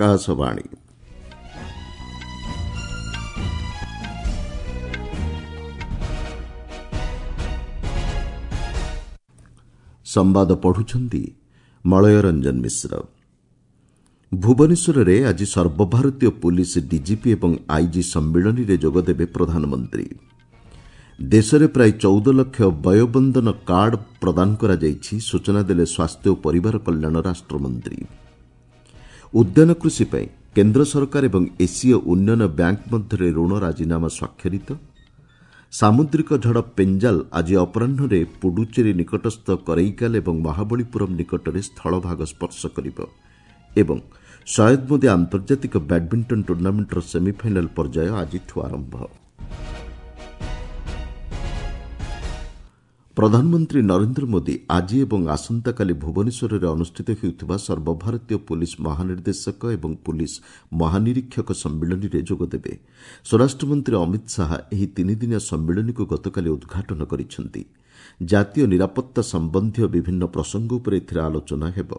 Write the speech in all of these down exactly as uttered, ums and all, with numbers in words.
ଆକାଶବାଣୀ। ସମ୍ବାଦ ପଢୁଛନ୍ତି ମଳୟ ରଞ୍ଜନ ମିଶ୍ର। ଭୁବନେଶ୍ୱରରେ ଆଜି ସର୍ବଭାରତୀୟ ପୁଲିସ ଡିଜିପି ଏବଂ ଆଇଜି ସମ୍ମିଳନୀରେ ଯୋଗଦେବେ ପ୍ରଧାନମନ୍ତ୍ରୀ। ଦେଶରେ ପ୍ରାୟ ଚଉଦ ଲକ୍ଷ ବୟୋବନ୍ଦନ କାର୍ଡ ପ୍ରଦାନ କରାଯାଇଛି, ସୂଚନା ଦେଲେ ସ୍ୱାସ୍ଥ୍ୟ ଓ ପରିବାର କଲ୍ୟାଣ ରାଷ୍ଟ୍ରମନ୍ତ୍ରୀ। ଉଦ୍ୟାନ କୃଷି ପାଇଁ କେନ୍ଦ୍ର ସରକାର ଏବଂ ଏସୀୟ ଉନ୍ନୟନ ବ୍ୟାଙ୍କ ମଧ୍ୟରେ ଋଣ ରାଜିନାମା ସ୍ୱାକ୍ଷରିତ। ସାମୁଦ୍ରିକ ଝଡ଼ ପେଞ୍ଜାଲ ଆଜି ଅପରାହ୍ନରେ ପୁଡୁଚେରୀ ନିକଟସ୍ଥ କରେଇକାଲ ଏବଂ ମହାବଳୀପୁରମ୍ ନିକଟରେ ସ୍ଥଳଭାଗ ସ୍ପର୍ଶ କରିବ ଏବଂ ସୟଦ ମୋଦି ଆନ୍ତର୍ଜାତିକ ବ୍ୟାଡ୍ମିଣ୍ଟନ ଟୁର୍ଣ୍ଣାମେଣ୍ଟର ସେମିଫାଇନାଲ୍ ପର୍ଯ୍ୟାୟ ଆଜିଠୁ ଆରମ୍ଭ। ପ୍ରଧାନମନ୍ତ୍ରୀ ନରେନ୍ଦ୍ର ମୋଦି ଆଜି ଏବଂ ଆସନ୍ତାକାଲି ଭୁବନେଶ୍ୱରରେ ଅନୁଷ୍ଠିତ ହେଉଥିବା ସର୍ବଭାରତୀୟ ପୁଲିସ ମହାନିର୍ଦ୍ଦେଶକ ଏବଂ ପୁଲିସ ମହାନିରୀକ୍ଷକ ସମ୍ମିଳନୀରେ ଯୋଗଦେବେ। ସ୍ୱରାଷ୍ଟ୍ରମନ୍ତ୍ରୀ ଅମିତ ଶାହା ଏହି ତିନିଦିନିଆ ସମ୍ମିଳନୀକୁ ଗତକାଲି ଉଦ୍ଘାଟନ କରିଛନ୍ତି। ଜାତୀୟ ନିରାପତ୍ତା ସମ୍ବନ୍ଧୀୟ ବିଭିନ୍ନ ପ୍ରସଙ୍ଗ ଉପରେ ଏଥିରେ ଆଲୋଚନା ହେବ।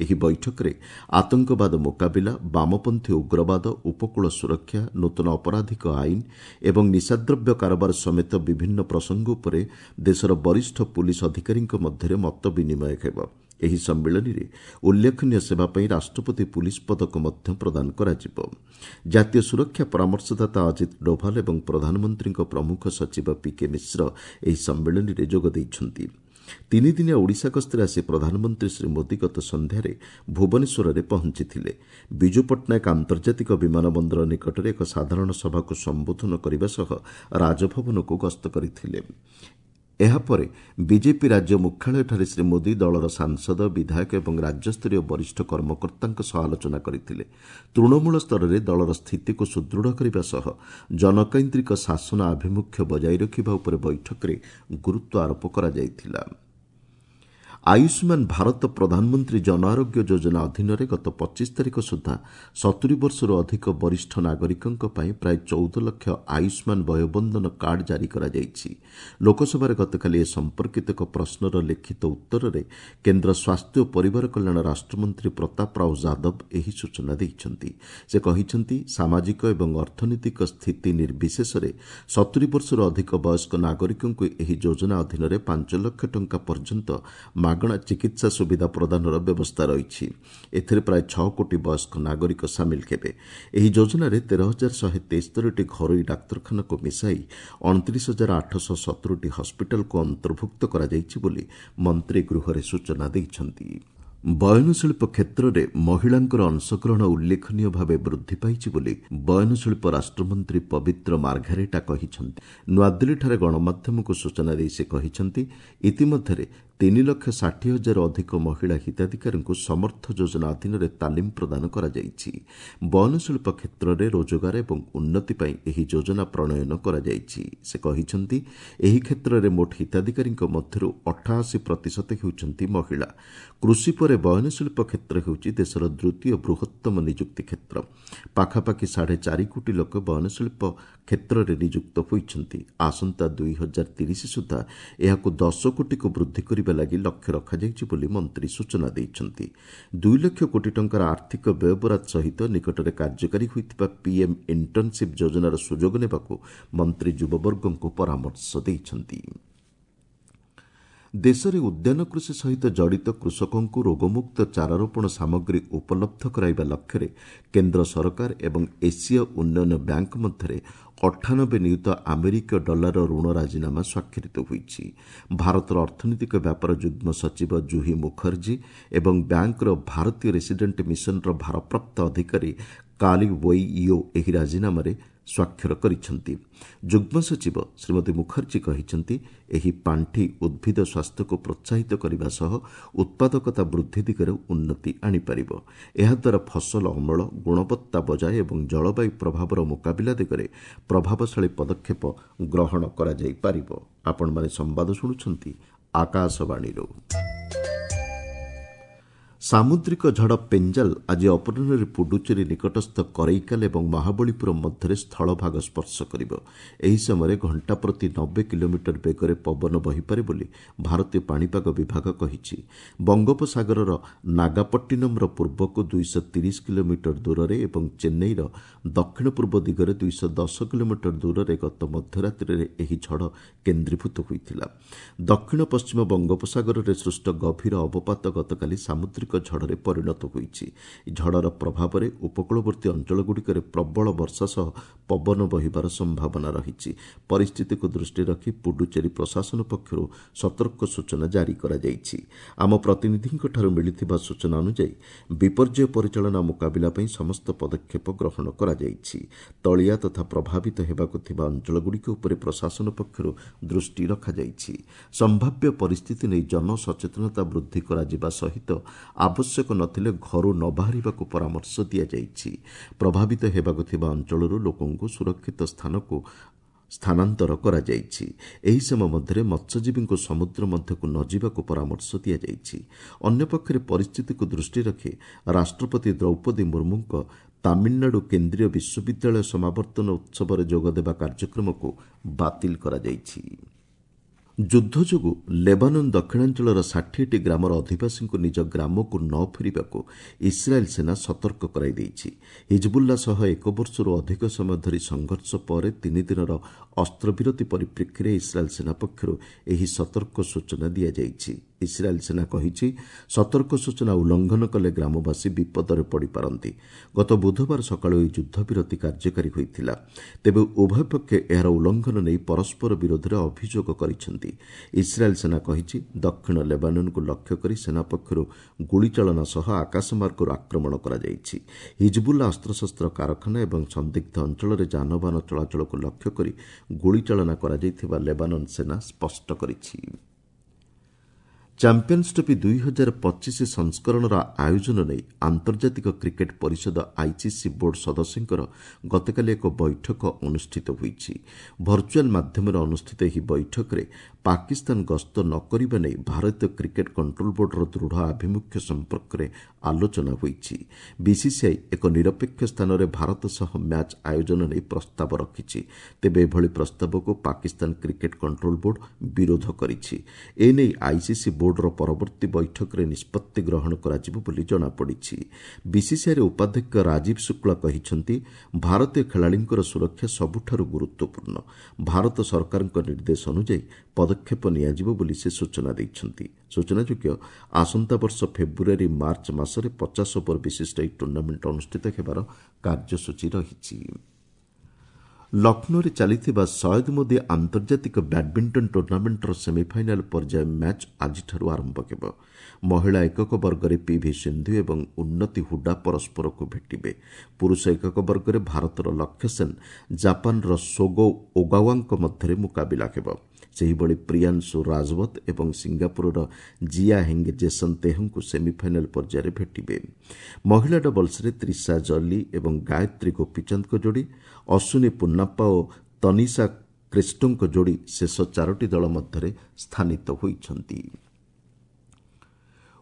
ଏହି ବୈଠକରେ ଆତଙ୍କବାଦ ମୁକାବିଲା, ବାମପନ୍ଥୀ ଉଗ୍ରବାଦ, ଉପକୂଳ ସୁରକ୍ଷା, ନୂତନ ଅପରାଧିକ ଆଇନ ଏବଂ ନିଶାଦ୍ରବ୍ୟ କାରବାର ସମେତ ବିଭିନ୍ନ ପ୍ରସଙ୍ଗ ଉପରେ ଦେଶର ବରିଷ୍ଠ ପୁଲିସ ଅଧିକାରୀଙ୍କ ମଧ୍ୟରେ ମତ ବିନିମୟ ହେବ। ଏହି ସମ୍ମିଳନୀରେ ଉଲ୍ଲେଖନୀୟ ସେବା ପାଇଁ ରାଷ୍ଟ୍ରପତି ପୁଲିସ ପଦକ ମଧ୍ୟ ପ୍ରଦାନ କରାଯିବ। ଜାତୀୟ ସୁରକ୍ଷା ପରାମର୍ଶଦାତା ଅଜିତ ଡୋଭାଲ ଏବଂ ପ୍ରଧାନମନ୍ତ୍ରୀଙ୍କ ପ୍ରମୁଖ ସଚିବ ପିକେ ମିଶ୍ର ଏହି ସମ୍ମିଳନୀରେ ଯୋଗ ଦେଇଛନ୍ତି। ତିନିଦିନିଆ ଓଡ଼ିଶା ଗସ୍ତରେ ଆସି ପ୍ରଧାନମନ୍ତ୍ରୀ ଶ୍ରୀ ମୋଦି ଗତ ସନ୍ଧ୍ୟାରେ ଭୁବନେଶ୍ୱରରେ ପହଞ୍ଚିଥିଲେ। ବିଜୁ ପଟ୍ଟନାୟକ ଆନ୍ତର୍ଜାତିକ ବିମାନ ବନ୍ଦର ନିକଟରେ ଏକ ସାଧାରଣ ସଭାକୁ ସମ୍ବୋଧନ କରିବା ସହ ରାଜଭବନକୁ ଗସ୍ତ କରିଥିଲେ। ଏହାପରେ ବିଜେପି ରାଜ୍ୟ ମୁଖ୍ୟାଳୟଠାରେ ଶ୍ରୀ ମୋଦି ଦଳର ସାଂସଦ, ବିଧାୟକ ଏବଂ ରାଜ୍ୟସ୍ତରୀୟ ବରିଷ୍ଠ କର୍ମକର୍ତ୍ତାଙ୍କ ସହ ଆଲୋଚନା କରିଥିଲେ। ତୃଣମୂଳ ସ୍ତରରେ ଦଳର ସ୍ଥିତିକୁ ସୁଦୃଢ଼ କରିବା ସହ ଜନକୈନ୍ଦ୍ରିକ ଶାସନ ଆଭିମୁଖ୍ୟ ବଜାୟ ରଖିବା ଉପରେ ବୈଠକରେ ଗୁରୁତ୍ୱ ଆରୋପ କରାଯାଇଥିଲା। ଆୟୁଷ୍ମାନ ଭାରତ ପ୍ରଧାନମନ୍ତ୍ରୀ ଜନ ଆରୋଗ୍ୟ ଯୋଜନା ଅଧୀନରେ ଗତ ପଚିଶ ତାରିଖ ସୁଦ୍ଧା ସତୁରି ବର୍ଷରୁ ଅଧିକ ବରିଷ୍ଠ ନାଗରିକଙ୍କ ପାଇଁ ପ୍ରାୟ ଚଉଦ ଲକ୍ଷ ଆୟୁଷ୍ମାନ ବୟୋବନ୍ଦନ କାର୍ଡ ଜାରି କରାଯାଇଛି। ଲୋକସଭାରେ ଗତକାଲି ଏ ସମ୍ପର୍କିତ ଏକ ପ୍ରଶ୍ନର ଲିଖିତ ଉତ୍ତରରେ କେନ୍ଦ୍ର ସ୍ୱାସ୍ଥ୍ୟ ଓ ପରିବାର କଲ୍ୟାଣ ରାଷ୍ଟ୍ରମନ୍ତ୍ରୀ ପ୍ରତାପ ରାଓ ଯାଦବ ଏହି ସୂଚନା ଦେଇଛନ୍ତି। ସେ କହିଛନ୍ତି, ସାମାଜିକ ଏବଂ ଅର୍ଥନୈତିକ ସ୍ଥିତି ନିର୍ବିଶେଷରେ ସତୁରି ବର୍ଷରୁ ଅଧିକ ବୟସ୍କ ନାଗରିକଙ୍କୁ ଏହି ଯୋଜନା ଅଧୀନରେ ପାଞ୍ଚ ଲକ୍ଷ ଟଙ୍କା ପର୍ଯ୍ୟନ୍ତ ମାଗଣା ଚିକିତ୍ସା ସୁବିଧା ପ୍ରଦାନର ବ୍ୟବସ୍ଥା ରହିଛି। ଏଥିରେ ପ୍ରାୟ ଛଅ କୋଟି ବୟସ୍କ ନାଗରିକ ସାମିଲ ହେବେ। ଏହି ଯୋଜନାରେ ତେର ହଜାର ଶହେ ତେସ୍ତରୀଟି ଘରୋଇ ଡାକ୍ତରଖାନାକୁ ମିଶାଇ ଅଣତିରିଶ ହଜାର ଆଠଶହ ସତୁରିଟି ହସ୍ପିଟାଲକୁ ଅନ୍ତର୍ଭୁକ୍ତ କରାଯାଇଛି ବୋଲି ମନ୍ତ୍ରୀ ଗୃହରେ ସୂଚନା ଦେଇଛନ୍ତି। ବୟନଶିଳ୍ପ କ୍ଷେତ୍ରରେ ମହିଳାଙ୍କର ଅଂଶଗ୍ରହଣ ଉଲ୍ଲେଖନୀୟ ଭାବେ ବୃଦ୍ଧି ପାଇଛି ବୋଲି ବୟନଶିଳ୍ପ ରାଷ୍ଟ୍ରମନ୍ତ୍ରୀ ପବିତ୍ର ମାର୍ଘାରେଟା କହିଛନ୍ତି। ନୂଆଦିଲ୍ଲୀଠାରେ ଗଣମାଧ୍ୟମକୁ ସୂଚନା ଦେଇ ସେ କହିଛନ୍ତି, ଇତିମଧ୍ୟରେ ତିନି ଲକ୍ଷ ଷାଠିଏ ହଜାର ଅଧିକ ମହିଳା ହିତାଧିକାରୀଙ୍କୁ ସମର୍ଥ ଯୋଜନା ଅଧୀନରେ ତାଲିମ ପ୍ରଦାନ କରାଯାଇଛି। ବୟନଶିଳ୍ପ କ୍ଷେତ୍ରରେ ରୋଜଗାର ଏବଂ ଉନ୍ନତି ପାଇଁ ଏହି ଯୋଜନା ପ୍ରଣୟନ କରାଯାଇଛି। ସେ କହିଛନ୍ତି, ଏହି କ୍ଷେତ୍ରରେ ମୋଟ ହିତାଧିକାରୀଙ୍କ ମଧ୍ୟରୁ ଅଠାଅଶୀ ପ୍ରତିଶତ ହେଉଛନ୍ତି ମହିଳା। କୃଷି ପରେ ବୟନଶିଳ୍ପ କ୍ଷେତ୍ର ହେଉଛି ଦେଶର ଦ୍ୱିତୀୟ ବୃହତ୍ତମ ନିଯୁକ୍ତି କ୍ଷେତ୍ର। ପାଖାପାଖି ସାଢ଼େ ଚାରି କୋଟି ଲୋକ ବୟନଶିଳ୍ପ କ୍ଷେତ୍ରରେ ନିଯୁକ୍ତ ହୋଇଛନ୍ତି। ଆସନ୍ତା ଦୁଇ ହଜାର ତିରିଶ ସୁଦ୍ଧା ଏହାକୁ ଦଶ କୋଟିକୁ ବୃଦ୍ଧି କରିବା ଲାଗି ଲକ୍ଷ୍ୟ ରଖାଯାଇଛି ବୋଲି ମନ୍ତ୍ରୀ ସୂଚନା ଦେଇଛନ୍ତି। ଦୁଇ ଲକ୍ଷ କୋଟି ଟଙ୍କାର ଆର୍ଥିକ ବ୍ୟୟବରାଦ ସହିତ ନିକଟରେ କାର୍ଯ୍ୟକାରୀ ହୋଇଥିବା ପିଏମ୍ ଇଣ୍ଟର୍ଣ୍ଣସିପ୍ ଯୋଜନାର ସୁଯୋଗ ନେବାକୁ ମନ୍ତ୍ରୀ ଯୁବବର୍ଗଙ୍କୁ ପରାମର୍ଶ ଦେଇଛନ୍ତି। ଦେଶରେ ଉଦ୍ୟାନ କୃଷି ସହିତ ଜଡ଼ିତ କୃଷକଙ୍କୁ ରୋଗମୁକ୍ତ ଚାରାରୋପଣ ସାମଗ୍ରୀ ଉପଲବ୍ଧ କରାଇବା ଲକ୍ଷ୍ୟରେ କେନ୍ଦ୍ର ସରକାର ଏବଂ ଏସୀୟ ଉନ୍ନୟନ ବ୍ୟାଙ୍କ ମଧ୍ୟରେ ଅଠାନବେ ନିୟୁତ ଆମେରିକୀୟ ଡଲାରର ଋଣ ରାଜିନାମା ସ୍ୱାକ୍ଷରିତ ହୋଇଛି। ଭାରତର ଅର୍ଥନୈତିକ ବ୍ୟାପାର ଯୁଗ୍ମ ସଚିବ ଜୁହି ମୁଖାର୍ଜୀ ଏବଂ ବ୍ୟାଙ୍କର ଭାରତୀୟ ରେସିଡେଣ୍ଟ ମିଶନର ଭାରପ୍ରାପ୍ତ ଅଧିକାରୀ କାଲି ୱେଇ ଇଓ ଏହି ରାଜିନାମାରେ ସ୍ୱାକ୍ଷର କରିଛନ୍ତି। ଯୁଗ୍ମ ସଚିବ ଶ୍ରୀମତୀ ମୁଖାର୍ଜୀ କହିଛନ୍ତି, ଏହି ପାଣ୍ଠି ଉଦ୍ଭିଦ ସ୍ୱାସ୍ଥ୍ୟକୁ ପ୍ରୋତ୍ସାହିତ କରିବା ସହ ଉତ୍ପାଦକତା ବୃଦ୍ଧି ଦିଗରେ ଉନ୍ନତି ଆଣିପାରିବ। ଏହାଦ୍ୱାରା ଫସଲ ଅମଳ, ଗୁଣବତ୍ତା ବଜାୟ ଏବଂ ଜଳବାୟୁ ପ୍ରଭାବର ମୁକାବିଲା ଦିଗରେ ପ୍ରଭାବଶାଳୀ ପଦକ୍ଷେପ ଗ୍ରହଣ କରାଯାଇପାରିବ। ଆପଣମାନେ ସମ୍ବାଦ ଶୁଣୁଛନ୍ତି ଆକାଶବାଣୀରୁ। ସାମୁଦ୍ରିକ ଝଡ଼ ପେଞ୍ଜାଲ ଆଜି ଅପରାହ୍ନରେ ପୁଡୁଚେରୀ ନିକଟସ୍ଥ କରେଇକାଲ ଏବଂ ମହାବଳୀପୁରମ୍ ମଧ୍ୟରେ ସ୍ଥଳଭାଗ ସ୍ପର୍ଶ କରିବ। ଏହି ସମୟରେ ଘଣ୍ଟା ପ୍ରତି ନବେ କିଲୋମିଟର ବେଗରେ ପବନ ବହିପାରେ ବୋଲି ଭାରତୀୟ ପାଣିପାଗ ବିଭାଗ କହିଛି। ବଙ୍ଗୋପସାଗରର ନାଗାପଟ୍ଟିନମ୍ର ପୂର୍ବକୁ ଦୁଇଶହ ତିରିଶ କିଲୋମିଟର ଦୂରରେ ଏବଂ ଚେନ୍ନାଇର ଦକ୍ଷିଣ ପୂର୍ବ ଦିଗରେ ଦୁଇଶହ ଦଶ କିଲୋମିଟର ଦୂରରେ ଗତ ମଧ୍ୟରାତ୍ରିରେ ଏହି ଝଡ଼ କେନ୍ଦ୍ରୀଭୂତ ହୋଇଥିଲା। ଦକ୍ଷିଣ ପଶ୍ଚିମ ବଙ୍ଗୋପସାଗରରେ ସୃଷ୍ଟ ଗଭୀର ଅବପାତ ଗତକାଲି ସାମୁଦ୍ରିକ ଝଡ଼ରେ ପରିଣତ ହୋଇଛି। ଝଡ଼ର ପ୍ରଭାବରେ ଉପକୂଳବର୍ତ୍ତୀ ଅଞ୍ଚଳଗୁଡ଼ିକରେ ପ୍ରବଳ ବର୍ଷା ସହ ପବନ ବହିବାର ସମ୍ଭାବନା ରହିଛି। ପରିସ୍ଥିତିକୁ ଦୃଷ୍ଟିରେ ରଖି ପୁଡୁଚେରୀ ପ୍ରଶାସନ ପକ୍ଷରୁ ସତର୍କ ସୂଚନା ଜାରି କରାଯାଇଛି। ଆମ ପ୍ରତିନିଧିଙ୍କଠାରୁ ମିଳିଥିବା ସୂଚନା ଅନୁଯାୟୀ ବିପର୍ଯ୍ୟୟ ପରିଚାଳନା ମୁକାବିଲା ପାଇଁ ସମସ୍ତ ପଦକ୍ଷେପ ଗ୍ରହଣ କରାଯାଇଛି। ତଳିଆ ତଥା ପ୍ରଭାବିତ ହେବାକୁ ଥିବା ଅଞ୍ଚଳଗୁଡ଼ିକ ଉପରେ ପ୍ରଶାସନ ପକ୍ଷରୁ ଦୃଷ୍ଟି ରଖାଯାଇଛି। ସମ୍ଭାବ୍ୟ ପରିସ୍ଥିତି ନେଇ ଜନସଚେତନତା ବୃଦ୍ଧି କରାଯିବା ସହିତ ଆବଶ୍ୟକ ନଥିଲେ ଘରୁ ନ ବାହାରିବାକୁ ପରାମର୍ଶ ଦିଆଯାଇଛି। ପ୍ରଭାବିତ ହେବାକୁ ଥିବା ଅଞ୍ଚଳରୁ ଲୋକଙ୍କୁ ସୁରକ୍ଷିତ ସ୍ଥାନକୁ ସ୍ଥାନାନ୍ତର କରାଯାଇଛି। ଏହି ସମୟ ମଧ୍ୟରେ ମତ୍ସ୍ୟଜୀବୀଙ୍କୁ ସମୁଦ୍ର ମଧ୍ୟକୁ ନ ଯିବାକୁ ପରାମର୍ଶ ଦିଆଯାଇଛି। ଅନ୍ୟପକ୍ଷରେ ପରିସ୍ଥିତିକୁ ଦୃଷ୍ଟିରେ ରଖି ରାଷ୍ଟ୍ରପତି ଦ୍ରୌପଦୀ ମୁର୍ମୁଙ୍କ ତାମିଲନାଡୁ କେନ୍ଦ୍ରୀୟ ବିଶ୍ୱବିଦ୍ୟାଳୟ ସମାବର୍ତ୍ତନ ଉତ୍ସବରେ ଯୋଗଦେବା କାର୍ଯ୍ୟକ୍ରମକୁ ବାତିଲ କରାଯାଇଛି। ଯୁଦ୍ଧ ଯୋଗୁଁ ଲେବାନନ ଦକ୍ଷିଣାଞ୍ଚଳର ଷାଠିଏଟି ଗ୍ରାମର ଅଧିବାସୀଙ୍କୁ ନିଜ ଗ୍ରାମକୁ ନ ଫେରିବାକୁ ଇସ୍ରାଏଲ୍ ସେନା ସତର୍କ କରାଇ ଦେଇଛି। ହିଜବୁଲ୍ଲା ସହ ଏକ ବର୍ଷରୁ ଅଧିକ ସମୟ ଧରି ସଂଘର୍ଷ ପରେ ତିନି ଦିନର ଅସ୍ତ୍ରବିରତି ପରିପ୍ରେକ୍ଷୀରେ ଇସ୍ରାଏଲ୍ ସେନା ପକ୍ଷରୁ ଏହି ସତର୍କ ସୂଚନା ଦିଆଯାଇଛି। ଇସ୍ରାଏଲ୍ ସେନା କହିଛି, ସତର୍କ ସୂଚନା ଉଲ୍ଲଂଘନ କଲେ ଗ୍ରାମବାସୀ ବିପଦରେ ପଡ଼ିପାରନ୍ତି। ଗତ ବୁଧବାର ସକାଳୁ ଏହି ଯୁଦ୍ଧବିରତି କାର୍ଯ୍ୟକାରୀ ହୋଇଥିଲା। ତେବେ ଉଭୟ ପକ୍ଷ ଏହାର ଉଲ୍ଲଂଘନ ନେଇ ପରସ୍ପର ବିରୋଧରେ ଅଭିଯୋଗ କରିଛନ୍ତି। ଇସ୍ରାଏଲ୍ ସେନା କହିଛି, ଦକ୍ଷିଣ ଲେବାନନକୁ ଲକ୍ଷ୍ୟ କରି ସେନା ପକ୍ଷରୁ ଗୁଳିଚାଳନା ସହ ଆକାଶମାର୍ଗରୁ ଆକ୍ରମଣ କରାଯାଇଛି। ହିଜବୁଲ୍ଲା ଅସ୍ତ୍ରଶସ୍ତ୍ର କାରଖାନା ଏବଂ ସନ୍ଦିଗ୍ଧ ଅଞ୍ଚଳରେ ଯାନବାହନ ଚଳାଚଳକୁ ଲକ୍ଷ୍ୟ କରି ଗୁଳିଚାଳନା କରାଯାଇଥିବା ଲେବାନନ ସେନା ସ୍ପଷ୍ଟ କରିଛି। ଚାମ୍ପିୟନ୍ସ ଟ୍ରଫି ଦୁଇ ହଜାର ପଚିଶ ସଂସ୍କରଣର ଆୟୋଜନ ନେଇ ଆନ୍ତର୍ଜାତିକ କ୍ରିକେଟ୍ ପରିଷଦ ଆଇସିସି ବୋର୍ଡ ସଦସ୍ୟଙ୍କର ଗତକାଲି ଏକ ବୈଠକ ଅନୁଷ୍ଠିତ ହୋଇଛି। ଭର୍ଚୁଆଲ୍ ମାଧ୍ୟମରେ ଅନୁଷ୍ଠିତ ଏହି ବୈଠକରେ ପାକିସ୍ତାନ ଗସ୍ତ ନ କରିବା ନେଇ ଭାରତୀୟ କ୍ରିକେଟ୍ କଣ୍ଟ୍ରୋଲ ବୋର୍ଡର ଦୃଢ଼ ଆଭିମୁଖ୍ୟ ସମ୍ପର୍କରେ ଆଲୋଚନା ହୋଇଛି। ବିସିସିଆଇ ଏକ ନିରପେକ୍ଷ ସ୍ଥାନରେ ଭାରତ ସହ ମ୍ୟାଚ୍ ଆୟୋଜନ ନେଇ ପ୍ରସ୍ତାବ ରଖିଛି। ତେବେ ଏଭଳି ପ୍ରସ୍ତାବକୁ ପାକିସ୍ତାନ କ୍ରିକେଟ୍ କଣ୍ଟ୍ରୋଲ ବୋର୍ଡ ବିରୋଧ କରିଛି। ଏନେଇ ଆଇସିସି ବୋର୍ଡର ପରବର୍ତ୍ତୀ ବୈଠକରେ ନିଷ୍ପତ୍ତି ଗ୍ରହଣ କରାଯିବ ବୋଲି ଜଣାପଡ଼ିଛି। ବିସିସିଆଇର ଉପାଧ୍ୟକ୍ଷ ରାଜୀବ ଶୁକ୍ଳା କହିଛନ୍ତି, ଭାରତୀୟ ଖେଳାଳିଙ୍କର ସୁରକ୍ଷା ସବୁଠାରୁ ଗୁରୁତ୍ୱପୂର୍ଣ୍ଣ। ଭାରତ ସରକାରଙ୍କ ନିର୍ଦ୍ଦେଶ ଅନୁଯାୟୀ ପଦକ୍ଷେପ ନିଆଯିବ ବୋଲି ସେ ସୂଚନା ଦେଇଛନ୍ତି। ସୂଚନାଯୋଗ୍ୟ, ଆସନ୍ତା ବର୍ଷ ଫେବୃଆରୀ ମାର୍ଚ୍ଚ ମାସରେ ପଚାଶ ଓଭର ବିଶିଷ୍ଟ ଏହି ଟୁର୍ଣ୍ଣାମେଣ୍ଟ ଅନୁଷ୍ଠିତ ହେବାର କାର୍ଯ୍ୟସୂଚୀ ରହିଛି। ଲକ୍ଷ୍ନୌରେ ଚାଲିଥିବା ସୟଦ ମୋଦି ଆନ୍ତର୍ଜାତିକ ବ୍ୟାଡମିଣ୍ଟନ ଟୁର୍ଣ୍ଣାମେଣ୍ଟର ସେମିଫାଇନାଲ ପର୍ଯ୍ୟାୟ ମ୍ୟାଚ୍ ଆଜିଠାରୁ ଆରମ୍ଭ ହେବ। ମହିଳା ଏକକ ବର୍ଗରେ ପିଭି ସିନ୍ଧୁ ଏବଂ ଉନ୍ନତି ହୁଡା ପରସ୍ପରକୁ ଭେଟିବେ। ପୁରୁଷ ଏକକ ବର୍ଗରେ ଭାରତର ଲକ୍ଷ୍ୟ ସେନ୍ ଜାପାନର ସୋଗୋ ଓଗାୱାଙ୍କ ମଧ୍ୟରେ ମୁକାବିଲା ହେବ। ସେହିଭଳି ପ୍ରିୟାଂଶୁ ରାଜୱତ ଏବଂ ସିଙ୍ଗାପୁରର ଜିଆ ହେଙ୍ଗ ଜେସନ୍ ତେହଙ୍କୁ ସେମିଫାଇନାଲ ପର୍ଯ୍ୟାୟରେ ଭେଟିବେ। ମହିଳା ଡବଲ୍ସରେ ତ୍ରିଶା ଜଲି ଏବଂ ଗାୟତ୍ରୀ ଗୋପୀଚାନ୍ଦଙ୍କ ଯୋଡ଼ି, ଅଶ୍ୱିନୀ ପୁନ୍ନାପ୍ପା ଓ ତନିଷା କ୍ରେଷ୍ଟୋଙ୍କ ଯୋଡ଼ି ଶେଷ ଚାରୋଟି ଦଳ ମଧ୍ୟରେ ସ୍ଥାନିତ ହୋଇଛନ୍ତି।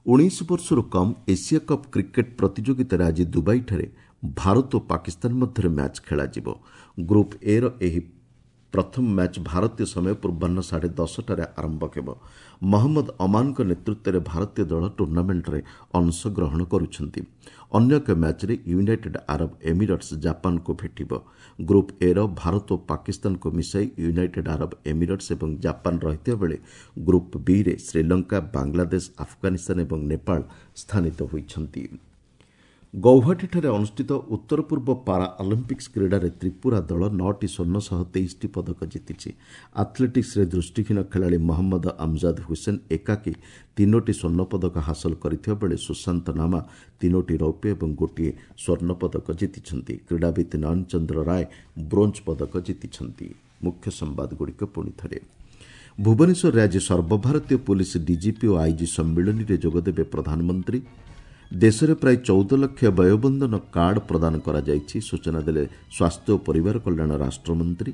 ଉଣେଇଶ ବର୍ଷରୁ କମ୍ ଏସିଆ କପ୍ କ୍ରିକେଟ୍ ପ୍ରତିଯୋଗିତାରେ ଆଜି ଦୁବାଇଠାରେ ଭାରତ ଓ ପାକିସ୍ତାନ ମଧ୍ୟରେ ମ୍ୟାଚ୍ ଖେଳାଯିବ। ଗ୍ରୁପ୍ ଏର ଏହି ପ୍ରଥମ ମ୍ୟାଚ୍ ଭାରତୀୟ ସମୟ ପୂର୍ବାହ୍ନ ସାଢ଼େ ଦଶଟାରେ ଆରମ୍ଭ ହେବ। ମହମ୍ମଦ ଅମାନଙ୍କ ନେତୃତ୍ୱରେ ଭାରତୀୟ ଦଳ ଟୁର୍ଣ୍ଣାମେଣ୍ଟରେ ଅଂଶଗ୍ରହଣ କରୁଛନ୍ତି। ଅନ୍ୟ ଏକ ମ୍ୟାଚ୍ରେ ୟୁନାଇଟେଡ୍ ଆରବ ଏମିରେଟ୍ସ ଜାପାନକୁ ଭେଟିବ। ଗ୍ରୁପ୍ ଏର ଭାରତ ଓ ପାକିସ୍ତାନକୁ ମିଶାଇ ୟୁନାଇଟେଡ୍ ଆରବ ଏମିରେଟ୍ସ ଏବଂ ଜାପାନ ରହିଥିବା ବେଳେ ଗ୍ରୁପ୍ ବିରେ ଶ୍ରୀଲଙ୍କା, ବାଂଲାଦେଶ, ଆଫଗାନିସ୍ତାନ ଏବଂ ନେପାଳ ସ୍ଥାନିତ ହୋଇଛନ୍ତି। ଗୌହାଟୀଠାରେ ଅନୁଷ୍ଠିତ ଉତ୍ତର ପୂର୍ବ ପାରା ଅଲିମ୍ପିକ୍ସ କ୍ରୀଡ଼ାରେ ତ୍ରିପୁରା ଦଳ ନଅଟି ସ୍ୱର୍ଣ୍ଣ ସହ ତେଇଶଟି ପଦକ ଜିତିଛି। ଆଥଲେଟିକ୍ସରେ ଦୃଷ୍ଟିହୀନ ଖେଳାଳି ମହମ୍ମଦ ଅମଜାଦ ହୁସେନ ଏକାକୀ ତିନୋଟି ସ୍ୱର୍ଣ୍ଣ ପଦକ ହାସଲ କରିଥିବା ବେଳେ ସୁଶାନ୍ତ ନାମା ତିନୋଟି ରୌପ୍ୟ ଏବଂ ଗୋଟିଏ ସ୍ୱର୍ଣ୍ଣ ପଦକ ଜିତିଛନ୍ତି। କ୍ରୀଡ଼ାବିତ୍ ନୟନ ଚନ୍ଦ୍ର ରାୟ ବ୍ରୋଞ୍ଜ ପଦକ ଜିତିଛନ୍ତି। ମୁଖ୍ୟ ସମ୍ବାଦଗୁଡ଼ିକ ପୁଣି ଥରେ। ଭୁବନେଶ୍ୱରରେ ଆଜି ସର୍ବଭାରତୀୟ ପୋଲିସ ଡିଜିପି ଓ ଆଇଜି ସମ୍ମିଳନୀରେ ଯୋଗଦେବେ ପ୍ରଧାନମନ୍ତ୍ରୀ। ଦେଶରେ ପ୍ରାୟ ଚଉଦ ଲକ୍ଷ ବୟୋବନ୍ଦନ କାର୍ଡ ପ୍ରଦାନ କରାଯାଇଛି, ସୂଚନା ଦେଲେ ସ୍ୱାସ୍ଥ୍ୟ ଓ ପରିବାର କଲ୍ୟାଣ ରାଷ୍ଟ୍ରମନ୍ତ୍ରୀ।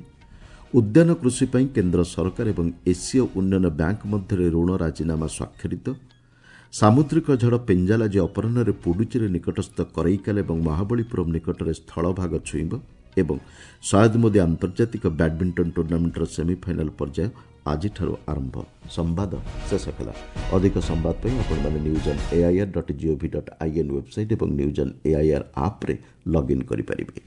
ଉଦ୍ୟାନ କୃଷି ପାଇଁ କେନ୍ଦ୍ର ସରକାର ଏବଂ ଏସୀୟ ଉନ୍ନୟନ ବ୍ୟାଙ୍କ ମଧ୍ୟରେ ଋଣ ରାଜିନାମା ସ୍ୱାକ୍ଷରିତ। ସାମୁଦ୍ରିକ ଝଡ଼ ଫେଞ୍ଜାଲ୍ ଆଜି ଅପରାହ୍ନରେ ପୁଡୁଚେରୀ ନିକଟସ୍ଥ କରୈକାଲ ଏବଂ ମହାବଳୀପୁରମ୍ ନିକଟରେ ସ୍ଥଳଭାଗ ଛୁଇଁବ ଏବଂ ସୟଦ ମୋଦି ଆନ୍ତର୍ଜାତିକ ବ୍ୟାଡ୍ମିଣ୍ଟନ ଟୁର୍ଣ୍ଣାମେଣ୍ଟର ସେମିଫାଇନାଲ୍ ପର୍ଯ୍ୟାୟ ଆଜିଠାରୁ ଆରମ୍ଭ ସମ୍ବାଦ ଶେଷ ହେଲା ଅଧିକ ସମ୍ବାଦ ପାଇଁ ଆପଣମାନେ news on AIR dot gov dot in website ଏବଂ ନ୍ୟୁଜ୍ ଅନ୍ ଏଆଇଆର୍ ଆପ୍ରେ ଲଗ୍ଇନ୍ କରିପାରିବେ